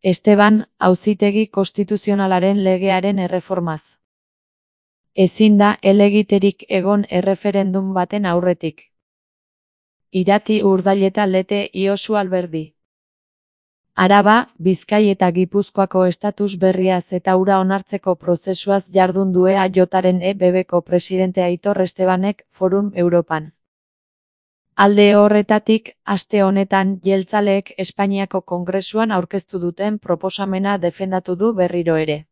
Esteban, Auzitegi Konstituzionalaren legearen erreformaz. Ezin da helegiterik egon erreferendum baten aurretik. Irati Urdaileta Lete Iosu Alberdi. Araba, Bizkai eta Gipuzkoako estatus berriaz eta hura onartzeko prozesuaz jardun du EAJaren EBBko presidente Aitor Estebanek Forum Europan. Alde horretatik, aste honetan jeltzaleek Espainiako Kongresuan aurkeztu duten proposamena defendatu du berriro ere.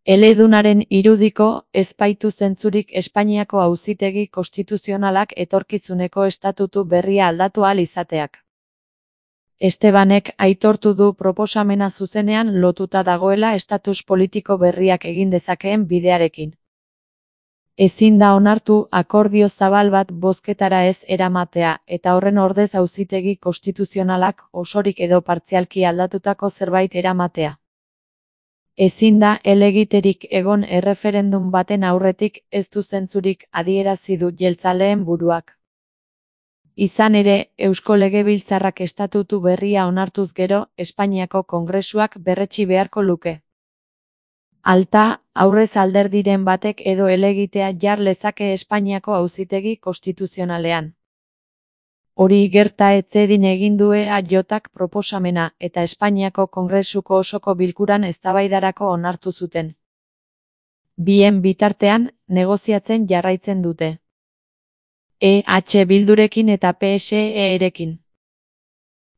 Eledunaren irudiko, ez baitu zentzurik Espainiako Auzitegi Konstituzionalak etorkizuneko estatutu berria aldatu ahal izateak. Estebanek aitortu du proposamena zuzenean lotuta dagoela estatus politiko berriak egin dezakeen bidearekin. Ezin da onartu akordio zabal bat bozketara ez eramatea eta horren ordez Auzitegi Konstituzionalak osorik edo partzialki aldatutako zerbait eramatea. Ezin da helegiterik egon erreferendum baten aurretik ez du zentzurik adierazi du jeltzaleen buruak. Izan ere, Eusko Legebiltzarrak estatutu berria onartuz gero, Espainiako Kongresuak berretsi beharko luke. Alta, aurrez alderdiren batek edo helegitea jar lezake Espainiako Auzitegi Konstituzionalean. Hori gerta ez zedin egin du EAJak proposamena eta Espainiako Kongresuko osoko bilkuran eztabaidarako onartu zuten. Bien bitartean, negoziatzen jarraitzen dute. EH Bildurekin eta PSE-erekin.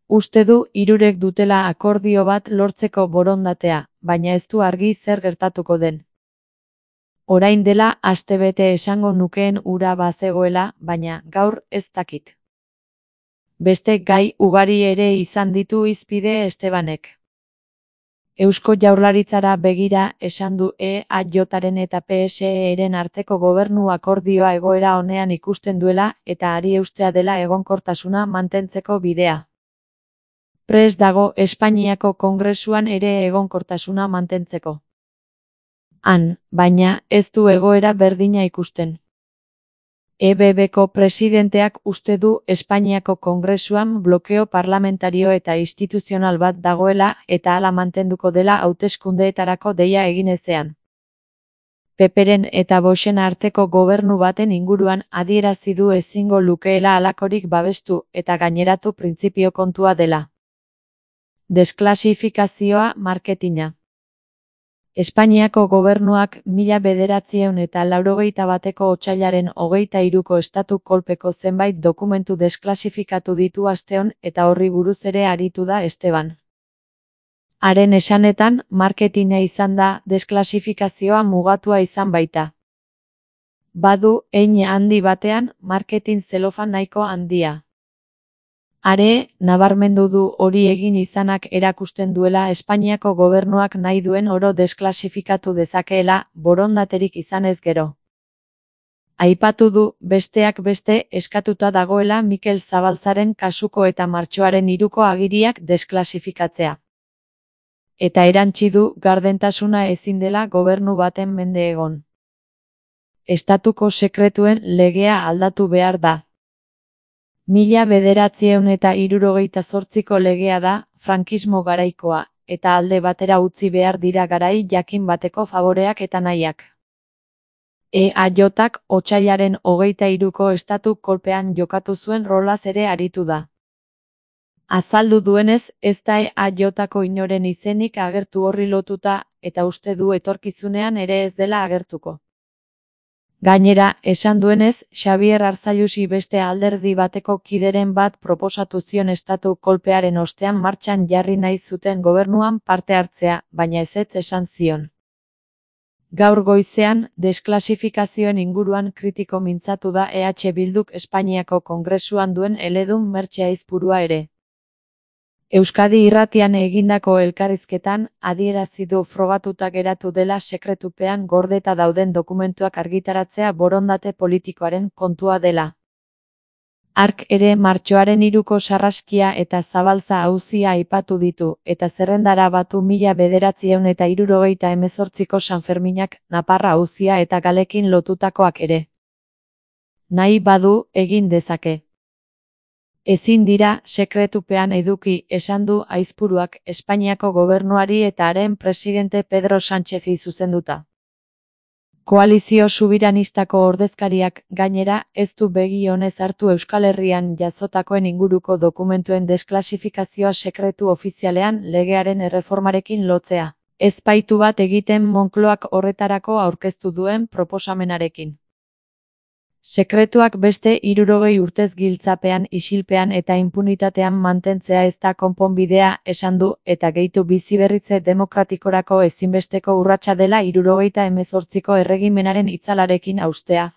Uste du hirurek dutela akordio bat lortzeko borondatea, baina ez du argi zer gertatuko den. Orain dela astebete esango nukeen hura bazegoela, baina gaur ez dakit. Beste gai ugari ere izan ditu hizpide Estebanek. Eusko Jaurlaritzara begira esan du EAJaren eta PSE-eren arteko gobernu akordioa egoera onean ikusten duela eta ari eustea dela egonkortasuna mantentzeko bidea. Prest dago Espainiako Kongresuan ere egonkortasuna mantentzeko. Han, baina, ez du egoera berdina ikusten. EBBko presidenteak uste du Espainiako Kongresuan blokeo parlamentario eta instituzional bat dagoela eta hala mantenduko dela hauteskundeetarako deia egin ezean. Peperen eta Voxen arteko gobernu baten inguruan adierazi du ezingo lukeela halakorik babestu eta gaineratu printzipio kontua dela. Desklasifikazioa marketina. Espainiako gobernuak 1981ko otsailaren 23ko estatu kolpeko zenbait dokumentu desklasifikatu ditu asteon eta horri buruz ere aritu da Esteban. Haren esanetan, marketina izan da desklasifikazioa mugatua izan baita. Badu, hein handi batean, marketin zelofan nahiko handia. Are, nabarmendu du hori egin izanak erakusten duela Espainiako gobernuak nahi duen oro desklasifikatu dezakeela, borondaterik izanez gero. Aipatu du, besteak beste, eskatuta dagoela Mikel Zabalzaren kasuko eta martxoaren 3ko agiriak desklasifikatzea. Eta erantsi du, gardentasuna ezin dela gobernu baten mende egon. Estatuko sekretuen legea aldatu behar da. 1978ko legea da, frankismo garaikoa, eta alde batera utzi behar dira garai jakin bateko favoreak eta nahiak. EAJak otsailaren 23ko estatu kolpean jokatu zuen rolaz ere aritu da. Azaldu duenez, ez da EAJako inoren izenik agertu horri lotuta, eta uste du etorkizunean ere ez dela agertuko. Gainera, esan duenez, Xabier Arzallusi beste alderdi bateko kideren bat proposatu zion estatu kolpearen ostean martxan jarri nahi zuten gobernuan parte hartzea, baina ezetz esan zion. Gaur goizean, desklasifikazioen inguruan kritiko mintzatu da EH Bilduk Espainiako Kongresuan duen eledun Mertxe Aizpurua ere. Euskadi Irratian egindako elkarrizketan, adierazi du frogatuta geratu dela sekretupean gordeta dauden dokumentuak argitaratzea borondate politikoaren kontua dela. Hark ere martxoaren 3ko sarraskia eta Zabalza auzia aipatu ditu, eta zerrendara batu 1978ko Sanferminak, Naparra auzia eta Galekin lotutakoak ere. Nahi badu, egin dezake. Ezin dira sekretupean eduki, esan du Aizpuruak Espainiako gobernuari eta haren presidente Pedro Sánchezi zuzenduta. Koalizio subiranistako ordezkariak, gainera, ez du begi onez hartu Euskal Herrian jazotakoen inguruko dokumentuen desklasifikazioa sekretu ofizialean legearen erreformarekin lotzea. Ezpaitu bat egiten Moncloak horretarako aurkeztu duen proposamenarekin. Sekretuak beste 60 urtez giltzapean, isilpean eta inpunitatean mantentzea ez da konponbidea, esan du, eta gehitu biziberritze demokratikorako ezinbesteko urratsa dela 78ko erregimenaren itzalarekin haustea.